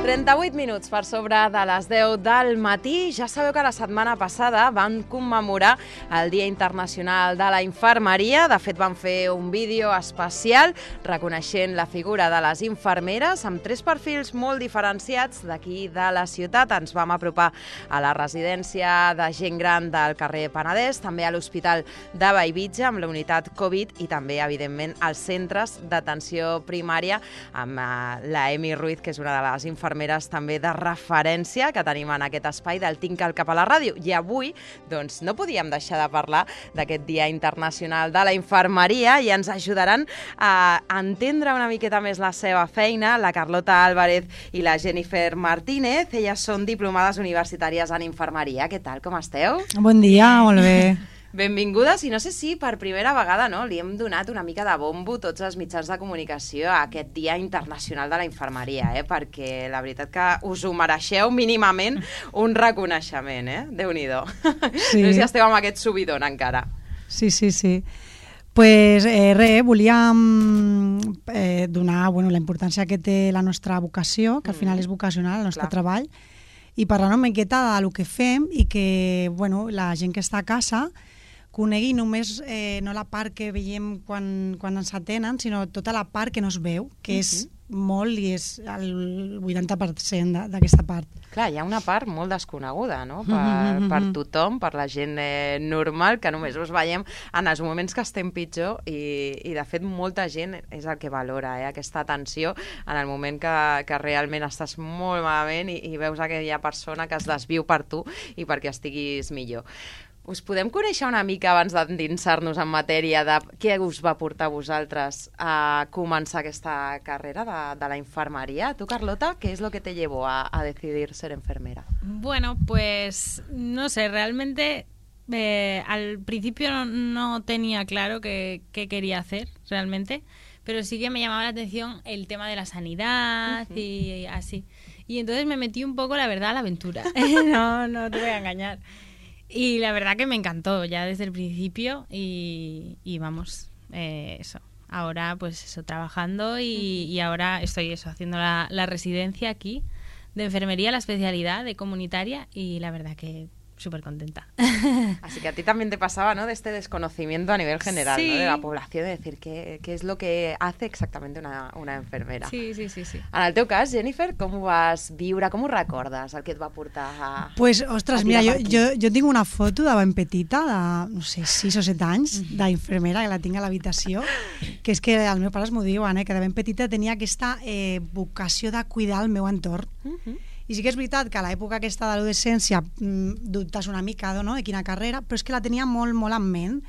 38 minuts per sobre de les 10 del matí. Ja sabeu que la setmana passada van commemorar el Dia Internacional de la Infermeria. De fet, van fer un vídeo especial reconeixent la figura de les infermeres amb 3 perfils molt diferenciats d'aquí de la ciutat. Ens vam apropar a la residència de gent gran del carrer Penedès, també a l'Hospital de Bellvitge amb la unitat Covid i també, evidentment, als centres d'atenció primària amb la Emi Ruiz, que és una de les infermeres també de referència que tenim en aquest espai del Tinc al cap a la ràdio. I avui doncs, no podíem deixar de parlar d'aquest Dia Internacional de la Infermeria i ens ajudaran a entendre una miqueta més la seva feina la Carlota Álvarez i la Jennifer Martínez. Elles són diplomades universitàries en infermeria. Què tal, com esteu? Bon dia, molt bé. Benvingudes, i no sé si per primera vegada li hem donat una mica de bombo tots els mitjans de comunicació a aquest Dia Internacional de la Infermeria, perquè la veritat que us ho mereixeu mínimament un reconeixement, Déu-n'hi-do. Sí. No sé si esteu amb aquest subidon encara. Sí. Pues volíem donar la importància que té la nostra vocació, que al final és vocacional, el nostre treball, i parlar una miqueta del que fem i que la gent que està a casa conegui només no la part que veiem quan ens atenen, sinó tota la part que no es veu, que és molt i és el 80% d'aquesta part. Clar, hi ha una part molt desconeguda, no? Per tothom, per la gent normal, que només us veiem en els moments que estem pitjor i de fet molta gent és el que valora, aquesta atenció en el moment que realment estàs molt malament i veus aquella persona que es desviu per tu i perquè estiguis millor. Us podem conèixer una mica abans d'endinsar-nos en matèria de què us va portar a vosaltres a començar aquesta carrera de la infermería? Tu, Carlota, ¿qué es lo que te llevó a decidir ser enfermera? Bueno, pues no sé, realmente al principio no tenía claro qué quería hacer realmente, pero sí que me llamaba la atención el tema de la sanidad y así. Y entonces me metí un poco, la verdad, a la aventura. No te voy a engañar. Y la verdad que me encantó ya desde el principio y vamos, eso. Ahora pues eso, trabajando y ahora estoy haciendo la residencia aquí de enfermería, la especialidad de comunitaria y la verdad que súper contenta. Así que a ti también te pasaba, ¿no?, de este desconocimiento a nivel general, sí, ¿no?, de la població, de decir qué es lo que hace exactamente una enfermera. Sí. En el teu cas, Jennifer, com ho vas viure, com ho recordes, el que et va portar a... Pues, ostres, mira, jo tinc una foto de ben petita, de, no sé, 6 o 7 anys, d'infermera, que la tinc a l'habitació, que és que els meus pares m'ho diuen, que de ben petita tenia aquesta vocació de cuidar el meu entorn. I sí que és veritat que a l'època aquesta de l'adolescència dubtes una mica de quina carrera, però és que la tenia molt, molt en ment.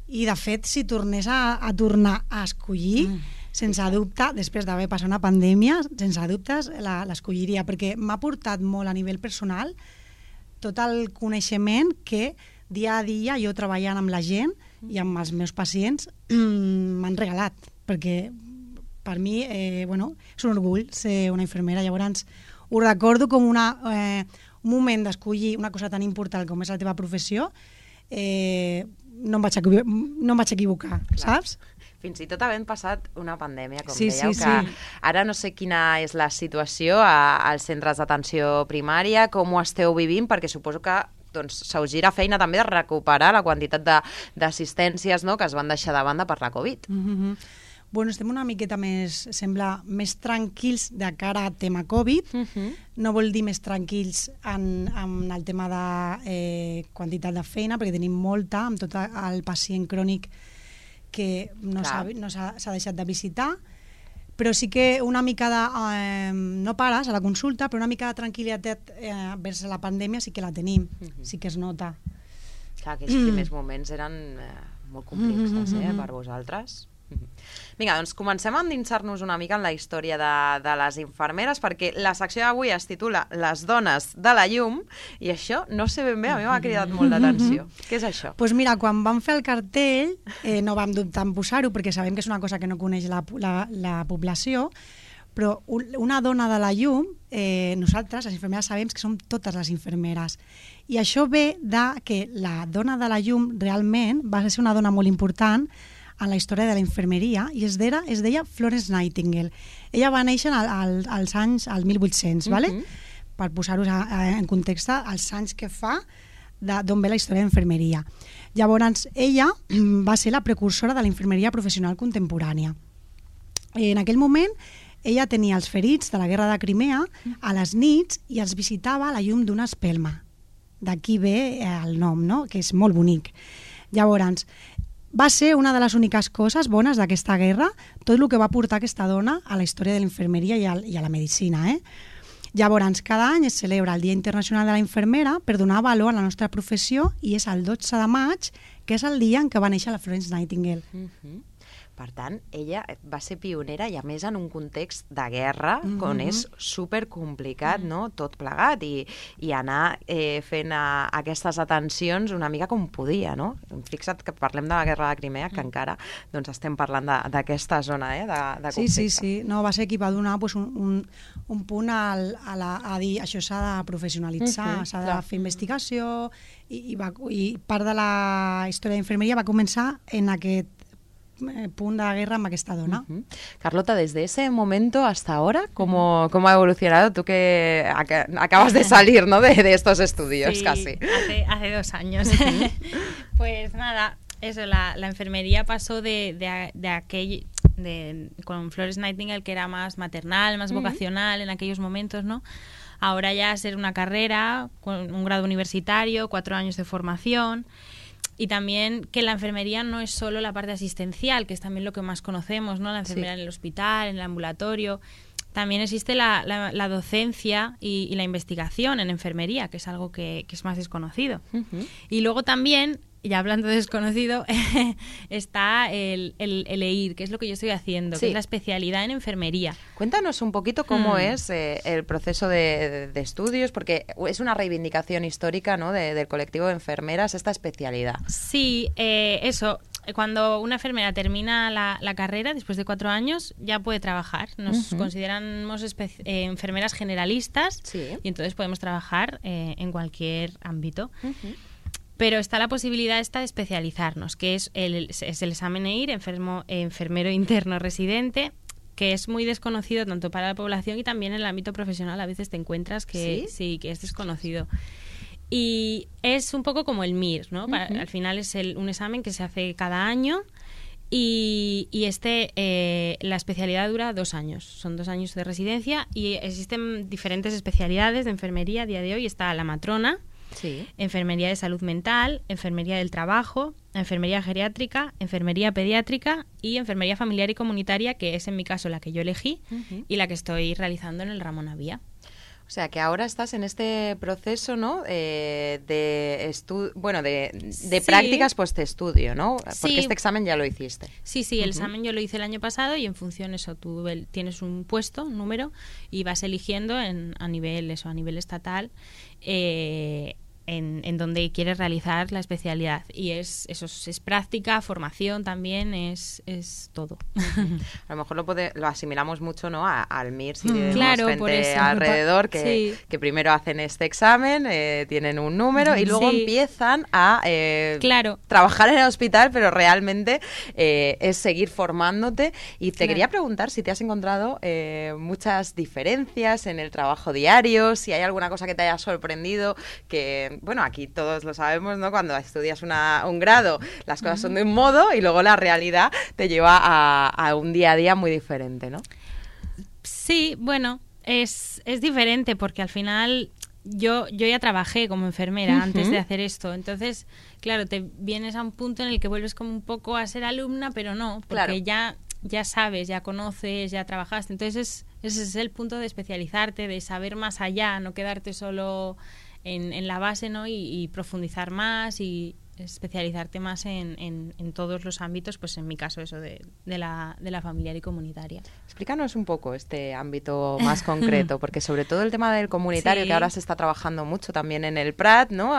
I, de fet, si tornés a tornar a escollir, sense dubte, després d'haver passat una pandèmia, sense dubtes l'escolliria, perquè m'ha portat molt a nivell personal tot el coneixement que dia a dia jo treballant amb la gent i amb els meus pacients m'han regalat, perquè per mi és un orgull ser una infermera. Llavors ho recordo com un moment d'escollir una cosa tan important com és la teva professió, no em vaig equivocar, saps? Fins i tot havent passat una pandèmia, com dèieu, que ara no sé quina és la situació als centres d'atenció primària, com ho esteu vivint, perquè suposo que s'us gira feina també de recuperar la quantitat d'assistències que es van deixar de banda per la Covid. Estem una miqueta més tranquils de cara a tema Covid. No vol dir més tranquils en el tema de quantitat de feina, perquè tenim molta, amb tot el pacient crònic que no s'ha deixat de visitar, però sí que una mica de... no pares a la consulta, però una mica de tranquil·litat vers la pandèmia sí que la tenim, sí que es nota. Clar, aquells primers moments eren molt complexos per vosaltres. Vinga, doncs comencem a endinsar-nos una mica en la història de les infermeres, perquè la secció d'avui es titula Les dones de la llum, i això, no sé ben bé, a mi m'ha cridat molt d'atenció. Què és això? Doncs mira, quan vam fer el cartell, no vam dubtar en posar-ho, perquè sabem que és una cosa que no coneix la població, però una dona de la llum, nosaltres, les infermeres, sabem que som totes les infermeres. I això ve que la dona de la llum realment va ser una dona molt important en la història de la infermeria i es deia Florence Nightingale. Ella va néixer als anys 1800, ¿vale? Per posar-vos en context els anys que fa d'on ve la història d'infermeria. Llavors, ella va ser la precursora de la infermeria professional contemporània. En aquell moment, ella tenia els ferits de la guerra de Crimea a les nits i els visitava a la llum d'una espelma. D'aquí ve el nom, no? Que és molt bonic. Llavors, va ser una de les úniques coses bones d'aquesta guerra, tot el que va portar aquesta dona a la història de la infermeria i a la medicina, Llavors, cada any es celebra el Dia Internacional de la Infermera per donar valor a la nostra professió i és el 12 de maig, que és el dia en què va néixer la Florence Nightingale. Per tant, ella va ser pionera i a més en un context de guerra on és supercomplicat, no? Tot plegat i anar fent aquestes atencions una mica com podia, no? Fixa't que parlem de la guerra de Crimea, que encara doncs, estem parlant d'aquesta zona de conflicte. Sí. No, va ser qui va donar pues, un punt a dir això s'ha de professionalitzar, s'ha de fer investigació i part de la història d'infermeria va començar en aquest punt de guerra amb aquesta dona. Carlota, desde ese momento hasta ahora, ¿cómo ha evolucionado? Tú que acabas de salir, ¿no? de estos estudios, sí, casi. Hace 2 años. Pues nada, eso, la enfermería pasó con Florence Nightingale, que era más maternal, más vocacional en aquellos momentos, ¿no? Ahora ya ser una carrera con un grado universitario, 4 años de formación. Y también que la enfermería no es solo la parte asistencial, que es también lo que más conocemos, ¿no? La enfermera en el hospital, en el ambulatorio. También existe la docencia y la investigación en enfermería, que es algo que es más desconocido. Y luego también, ya hablando de desconocido, está el EIR, que es lo que yo estoy haciendo, que es la especialidad en enfermería. Cuéntanos un poquito cómo es el proceso de estudios, porque es una reivindicación histórica, ¿no? del colectivo de enfermeras, esta especialidad. Sí, eso. Cuando una enfermera termina la carrera, después de 4 años, ya puede trabajar. Nos consideramos enfermeras generalistas y entonces podemos trabajar en cualquier ámbito. Pero está la posibilidad esta de especializarnos, que es el examen EIR, enfermero interno residente, que es muy desconocido tanto para la población y también en el ámbito profesional. A veces te encuentras que sí que es desconocido. Y es un poco como el MIR, ¿no? Al final es un examen que se hace cada año y la especialidad dura 2 años. Son 2 años de residencia y existen diferentes especialidades de enfermería. A día de hoy está la matrona, enfermería de salud mental, enfermería del trabajo, enfermería geriátrica, enfermería pediátrica y enfermería familiar y comunitaria, que es en mi caso la que yo elegí y la que estoy realizando en el Ramón Avía. O sea, que ahora estás en este proceso, ¿no? De prácticas post-estudio, ¿no? Porque este examen ya lo hiciste. Sí, el examen yo lo hice el año pasado y en función eso tú tienes un puesto, un número, y vas eligiendo a nivel estatal en donde quieres realizar la especialidad. Y es práctica, formación también, es todo. A lo mejor lo asimilamos mucho, ¿no? al MIR, si tenemos por gente eso. alrededor que primero hacen este examen, tienen un número y luego empiezan a trabajar en el hospital, pero realmente es seguir formándote. Y te quería preguntar si te has encontrado muchas diferencias en el trabajo diario, si hay alguna cosa que te haya sorprendido, que bueno, aquí todos lo sabemos, ¿no? Cuando estudias un grado, las cosas son de un modo y luego la realidad te lleva a un día a día muy diferente, ¿no? Sí, bueno, es diferente porque al final yo ya trabajé como enfermera antes de hacer esto, entonces, claro, te vienes a un punto en el que vuelves como un poco a ser alumna, pero no, porque ya sabes, ya conoces, ya trabajaste, entonces ese es el punto de especializarte, de saber más allá, no quedarte solo en la base, ¿no? Y profundizar más y especializarte más en todos los ámbitos, pues en mi caso eso de la familiar y comunitaria. Explícanos un poco este ámbito más concreto, porque sobre todo el tema del comunitario, que ahora se está trabajando mucho también en el Prat, ¿no?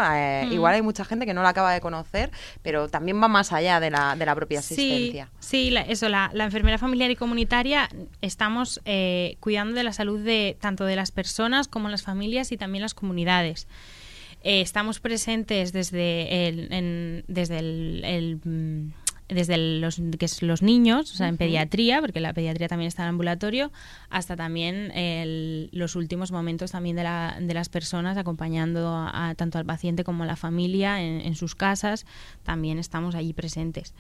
Igual hay mucha gente que no la acaba de conocer, pero también va más allá de la propia asistencia. Sí, la enfermera familiar y comunitaria estamos cuidando de la salud tanto de las personas como las familias y también las comunidades. Estamos presentes desde el desde los niños, o sea, en pediatría, porque la pediatría también está en ambulatorio, hasta también los últimos momentos también de las personas, acompañando tanto al paciente como a la familia en sus casas, también estamos allí presentes.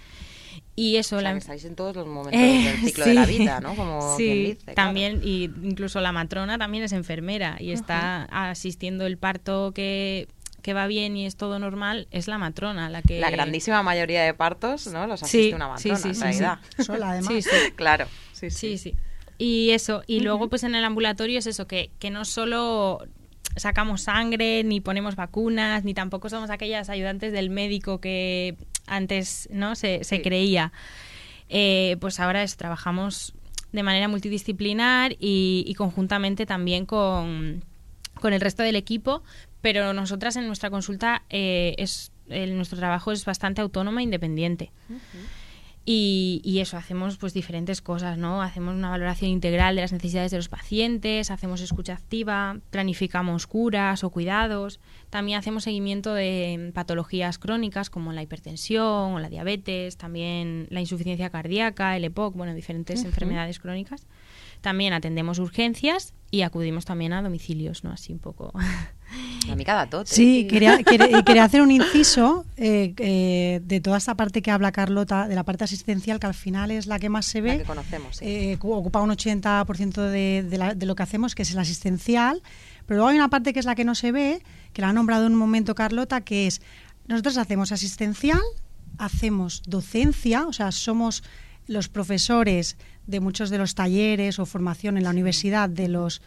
Y eso, o sea, que estáis en todos los momentos del ciclo de la vida, ¿no? Como quien dice, también, claro. Y incluso la matrona también es enfermera y está asistiendo el parto que va bien y es todo normal, es la matrona la que... La grandísima mayoría de partos, ¿no? Los asiste una matrona, en realidad. Sola, además. Sí. Claro. Sí. Y eso, y luego pues en el ambulatorio es eso, que no solo sacamos sangre, ni ponemos vacunas, ni tampoco somos aquellas ayudantes del médico que antes, ¿no? se creía. Pues ahora trabajamos de manera multidisciplinar y conjuntamente también con el resto del equipo, pero nosotras en nuestra consulta nuestro trabajo es bastante autónomo e independiente. Y eso, hacemos pues diferentes cosas, ¿no? Hacemos una valoración integral de las necesidades de los pacientes, hacemos escucha activa, planificamos curas o cuidados, también hacemos seguimiento de patologías crónicas como la hipertensión o la diabetes, también la insuficiencia cardíaca, el EPOC, bueno, diferentes enfermedades crónicas. También atendemos urgencias y acudimos también a domicilios, ¿no? Así un poco... A mí cada tot. Sí, quería hacer un inciso de toda esta parte que habla Carlota, de la parte asistencial, que al final es la que más se ve. La que conocemos, sí. Ocupa un 80% de lo que hacemos, que es el asistencial. Pero luego hay una parte que es la que no se ve, que la ha nombrado en un momento Carlota, que es, nosotros hacemos asistencial, hacemos docencia, o sea, somos los profesores de muchos de los talleres o formación en la universidad de los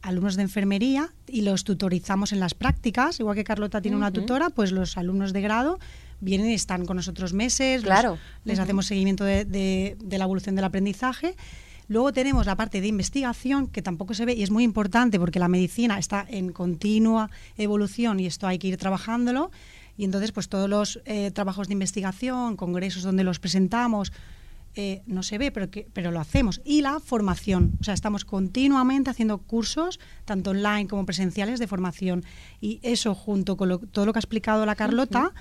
alumnos de enfermería y los tutorizamos en las prácticas, igual que Carlota tiene una tutora, pues los alumnos de grado vienen y están con nosotros meses, claro. Les hacemos seguimiento de la evolución del aprendizaje. Luego tenemos la parte de investigación, que tampoco se ve y es muy importante porque la medicina está en continua evolución y esto hay que ir trabajándolo, y entonces pues todos los trabajos de investigación, congresos donde los presentamos, no se ve, pero lo hacemos. Y la formación, o sea, estamos continuamente haciendo cursos, tanto online como presenciales, de formación. Y eso, junto con todo lo que ha explicado la Carlota,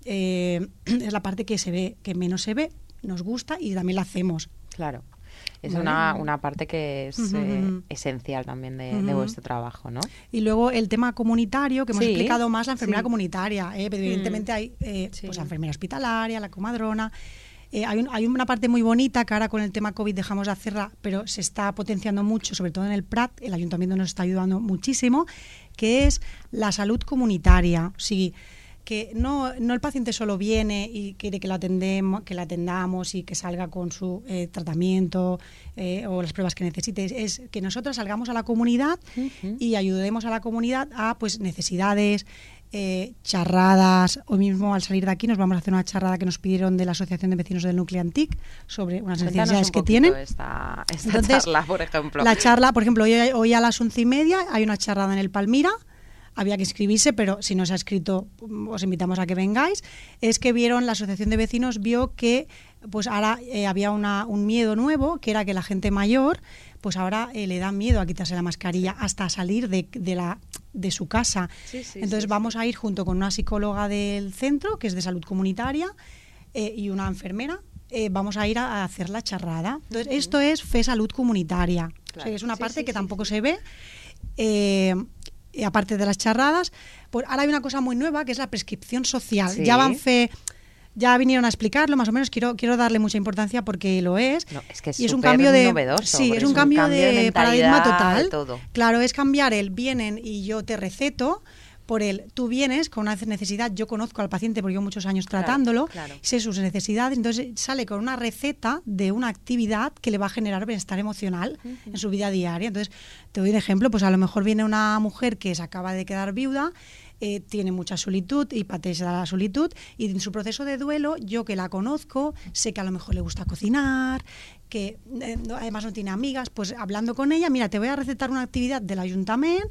es la parte que se ve, que menos se ve, nos gusta y también la hacemos. Claro. Es una parte que es esencial también de vuestro trabajo, ¿no? Y luego el tema comunitario, que hemos explicado más, la enfermera comunitaria. Pero evidentemente hay pues la enfermera hospitalaria, la comadrona. Hay una parte muy bonita que ahora con el tema COVID dejamos de hacerla, pero se está potenciando mucho, sobre todo en el Prat, el ayuntamiento nos está ayudando muchísimo, que es la salud comunitaria. Sí, que no el paciente solo viene y quiere que la atendamos y que salga con su tratamiento o las pruebas que necesite, es que nosotros salgamos a la comunidad y ayudemos a la comunidad a pues necesidades, charradas. Hoy mismo al salir de aquí nos vamos a hacer una charrada que nos pidieron de la Asociación de Vecinos del Núcleo Antic sobre unas necesidades que tienen. Esta Entonces, charla, por ejemplo. La charla, por ejemplo, hoy a las 11:30 hay una charrada en el Palmira. Había que inscribirse, pero si no se ha escrito, os invitamos a que vengáis. Es que la Asociación de Vecinos vio que pues ahora había un miedo nuevo, que era que la gente mayor, pues ahora le da miedo a quitarse la mascarilla hasta salir de su casa. Entonces vamos a ir junto con una psicóloga del centro, que es de salud comunitaria, y una enfermera. Vamos a ir a hacer la charrada. Entonces esto es fe salud comunitaria. Claro. O sea, que es una parte que tampoco se ve. Aparte de las charradas, pues ahora hay una cosa muy nueva que es la prescripción social. Ya vinieron a explicarlo, más o menos. Quiero darle mucha importancia porque lo es. No, es que es y es un cambio novedoso. Sí, es un cambio de paradigma total. De todo. Claro, es cambiar vienen y yo te receto, por tú vienes con una necesidad. Yo conozco al paciente porque llevo muchos años tratándolo, sé sus necesidades, entonces sale con una receta de una actividad que le va a generar bienestar emocional en su vida diaria. Entonces, te doy un ejemplo, pues a lo mejor viene una mujer que se acaba de quedar viuda, tiene mucha solitud y padece la solitud, y en su proceso de duelo, yo que la conozco, sé que a lo mejor le gusta cocinar, que además no tiene amigas, pues hablando con ella, mira, te voy a recetar una actividad del ayuntamiento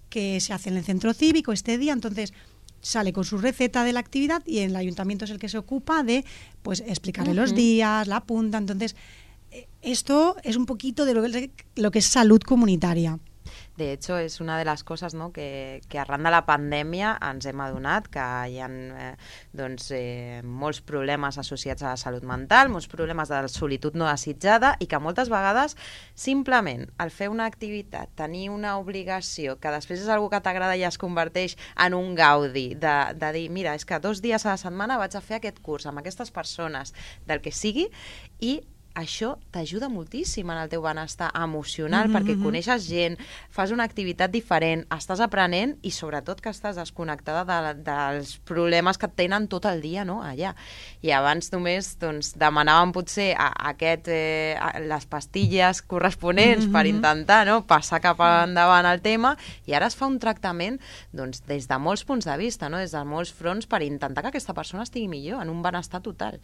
que se hace en el centro cívico este día. Entonces sale con su receta de la actividad y el ayuntamiento es el que se ocupa de pues explicarle los días, la apunta. Entonces esto es un poquito de lo que es salud comunitaria. De hecho, és una de les coses, no, que arran de la pandèmia ens hem adonat que hi ha molts problemes associats a la salut mental, molts problemes de solitud no desitjada i que moltes vegades simplement el fer una activitat, tenir una obligació que després és algo que t'agrada i es converteix en un gaudi de dir, mira, és que 2 dies a la setmana vaig a fer aquest curs amb aquestes persones, del que sigui, i això t'ajuda moltíssim en el teu benestar emocional, perquè coneixes gent, fas una activitat diferent, estàs aprenent i sobretot que estàs desconnectada dels problemes que et tenen tot el dia, no?, allà. I abans només demanàvem potser les pastilles corresponents per intentar, no?, passar cap endavant el tema, i ara es fa un tractament des de molts punts de vista, no?, des de molts fronts, per intentar que aquesta persona estigui millor, en un benestar total.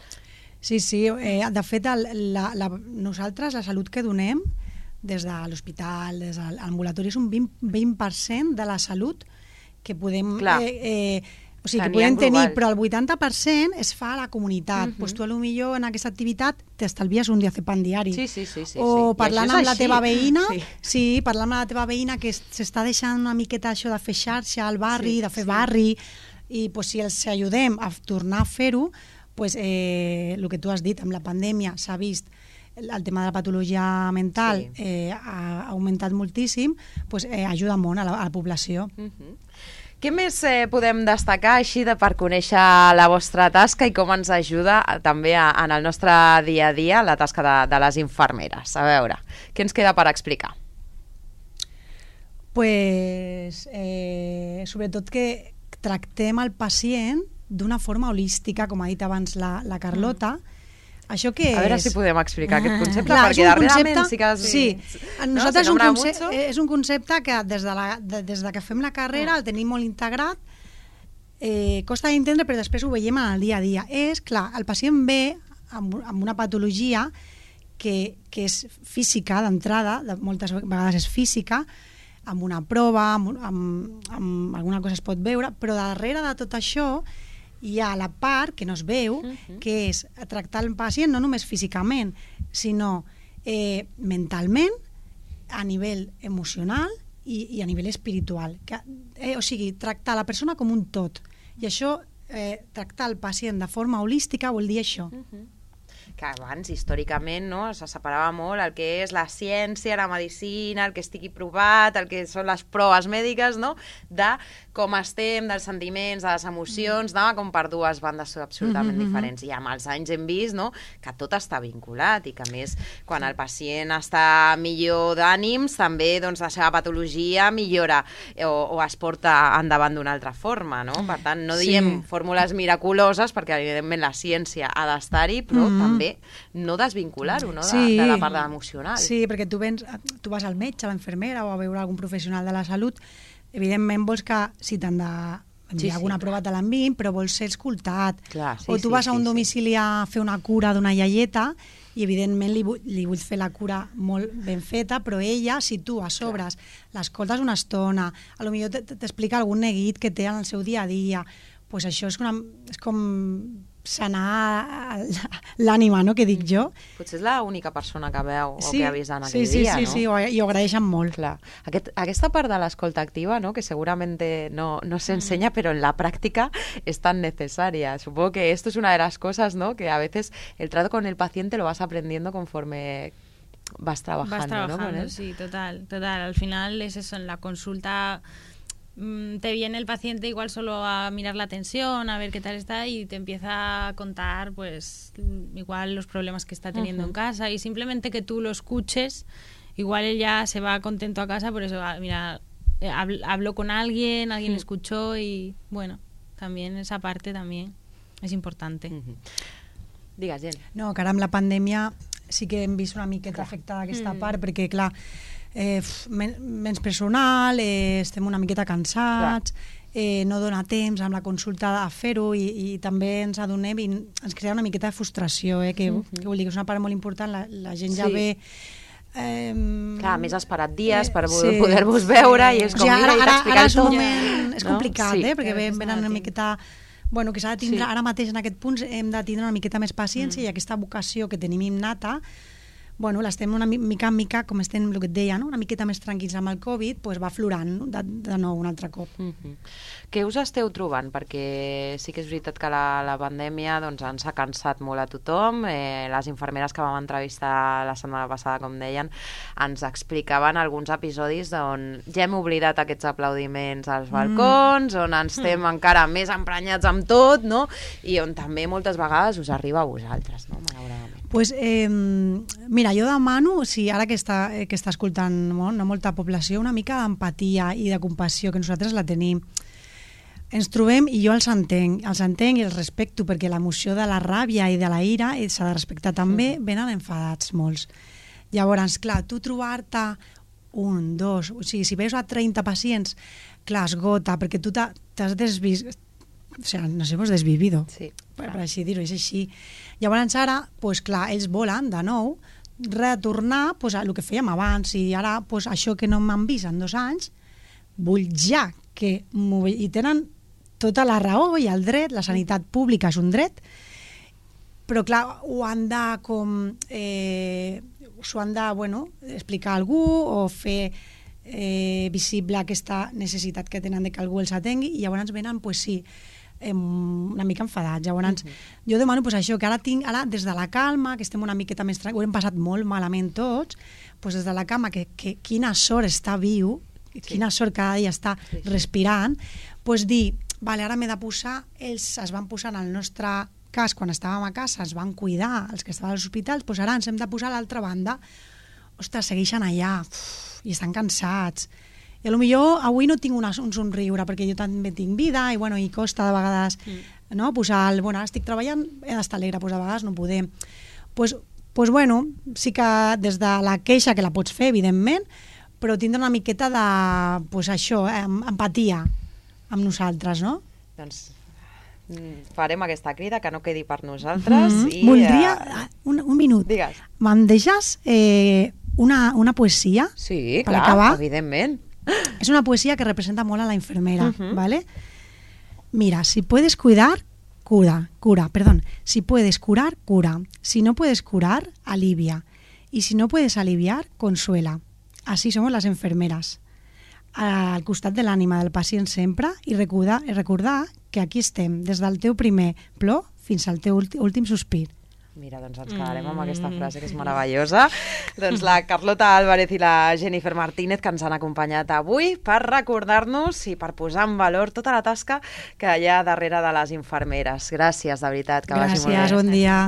Sí, de fet, nosaltres la salut que donem des de l'hospital, des de l'ambulatori, és un 20% de la salut que podem que podem tenir, però el 80% es fa a la comunitat. Pues tu, potser en aquesta activitat t'estalvies un diazepam diari. Sí. O parlant amb la teva veïna, parlant amb la teva veïna que s'està deixant una miqueta això de fer xarxa al barri, de fer barri, i si els ajudem a tornar a fer-ho, el que tu has dit, amb la pandèmia s'ha vist el tema de la patologia mental ha augmentat moltíssim, ajuda molt a la població. Què més podem destacar així per conèixer la vostra tasca i com ens ajuda també en el nostre dia a dia la tasca de les infermeres? A veure, què ens queda per explicar? Sobretot que tractem el pacient d'una forma holística, com ha dit abans la Carlota. Això què és? A veure si podem explicar aquest concepte, perquè darrerament sí que... Sí, nosaltres és un concepte que des de que fem la carrera el tenim molt integrat, costa d'entendre, però després ho veiem en el dia a dia. Clar, el pacient ve amb una patologia que és física d'entrada, moltes vegades és física, amb una prova, amb alguna cosa es pot veure, però darrere de tot això hi ha la part que no es veu, que és tractar el pacient no només físicament, sinó mentalment, a nivell emocional i a nivell espiritual. O sigui, tractar la persona com un tot. I això, tractar el pacient de forma holística vol dir això. Que abans, històricament, no, se separava molt el que és la ciència, la medicina, el que estigui provat, el que són les proves mèdiques, no?, de com estem, dels sentiments, de les emocions, anava com per dues bandes absolutament diferents. I amb els anys hem vist, no?, que tot està vinculat i que, a més, quan el pacient està millor d'ànims, també la seva patologia millora o es porta endavant d'una altra forma, no? Per tant, no diem fórmules miraculoses, perquè, evidentment, la ciència ha d'estar-hi, però també no desvincular-ho, no?, de la part emocional. Sí, perquè tu vas al metge, a l'infermera o a veure algun professional de la salut, evidentment vols que si t'han d'enviar alguna prova te l'enviïn, però vols ser escoltat. O tu vas a un domicili a fer una cura d'una iaieta i evidentment li vull fer la cura molt ben feta, però ella, si tu a sobres l'escoltes una estona, potser t'explica algun neguit que té en el seu dia a dia, doncs això és com sanar l'ànima, no?, que dic jo. Potser és l'única persona que veu o que ha vist en aquell dia, no? Sí, i ho agraeixen molt. Clar. Aquesta part de l'escolta activa, ¿no?, que seguramente no se enseña, pero en la práctica es tan necesaria. Supongo que esto es una de las cosas, ¿no?, que a veces el trato con el paciente lo vas aprendiendo conforme vas trabajando, ¿no?, con él. Sí, total. Al final es eso, en la consulta te viene el paciente igual solo a mirar la tensión, a ver qué tal está, y te empieza a contar pues igual los problemas que está teniendo en casa, y simplemente que tú lo escuches, igual él ya se va contento a casa por eso. Mira, habló con alguien le escuchó, y bueno, también esa parte también és importante. Digues, Jen. No, que ara amb la pandèmia sí que hem vist una miqueta afectada aquesta part, perquè clar, menys personal, estem una miqueta cansats, no dona temps amb la consulta a fer-ho, i també ens adonem i ens crea una miqueta de frustració, que vol dir que és una part molt important, la gent ja ve... Clar, més has esperat dies per poder-vos veure, i és com ara és un moment, és complicat, perquè venen una miqueta... Bueno, que s'ha de tindre, ara mateix en aquest punt hem de tindre una miqueta més paciència, i aquesta vocació que tenim innata bueno, l'estem una mica en mica, com estem, el que et deia, no? Una miqueta més tranquils amb el Covid, pues va aflorant, no? de nou un altre cop. Què us esteu trobant? Perquè sí que és veritat que la pandèmia doncs, ens ha cansat molt a tothom. Les infermeres que vam entrevistar la setmana passada, com deien, ens explicaven alguns episodis on ja hem oblidat aquests aplaudiments als balcons, on ens estem encara més emprenyats amb tot, no? I on també moltes vegades us arriba a vosaltres, no? Malauradament. Pues, mira, jo demano, ara que està escoltant molta població, una mica d'empatia i de compassió, que nosaltres la tenim. Ens trobem, i jo els entenc i els respecto, perquè l'emoció de la ràbia i de la ira s'ha de respectar també, venen enfadats molts. Llavors, clar, tu trobar-te un, dos, o sigui, si veus a 30 pacients, clar, esgota, perquè tu t'has desvist, o sigui, nos hemos desvivido, sí, per així dir-ho, és així. Llavors ara, pues, clar, ells volen de nou retornar pues, a el que fèiem abans, i ara pues, això que no m'han vist en 2 anys, vull ja que i tenen tota la raó i el dret, la sanitat pública és un dret, però clar, ho han de explicar a algú o fer visible aquesta necessitat que tenen de que algú els atengui, i llavors venen, pues sí, una mica enfadats. Llavors, jo demano pues, això, que ara des de la calma, que estem una miqueta més tranquils, ho hem passat molt malament tots, pues, des de la calma, que quina sort està viu, quina sort cada dia està respirant, pues dir, vale, ara m'he de posar, ells es van posar en el nostre cas, quan estàvem a casa, ens van cuidar, els que estaven als hospitals, doncs ara ens hem de posar a l'altra banda. Ostres, segueixen allà, i estan cansats. I potser avui no tinc un somriure, perquè jo també tinc vida, i, bueno, i costa de vegades no, posar bueno, ara estic treballant, he d'estar alegre, doncs a vegades no podem. Doncs, bueno, sí que des de la queixa, que la pots fer, evidentment, però tindre una miqueta de, pues això, empatia amb nosaltres, no? Doncs farem aquesta crida, que no quedi per nosaltres. I, voldria, un minut. Digues. Me'n deixes una poesia? Sí, per clar, acabar? Evidentment. És una poesia que representa molt a la infermera, ¿vale? Mira, si puedes cuidar, cura. Si puedes curar, cura. Si no puedes curar, alivia. Y si no puedes aliviar, consuela. Así somos las enfermeras. Al costat de l'ànima del pacient sempre, i recordar que aquí estem, des del teu primer plor fins al teu últim sospir. Mira, doncs ens quedarem amb aquesta frase, que és meravellosa. Doncs la Carlota Álvarez i la Jennifer Martínez, que ens han acompanyat avui per recordar-nos i per posar en valor tota la tasca que hi ha darrere de les infermeres. Gràcies, de veritat, que vagi molt bé. Gràcies, bon dia.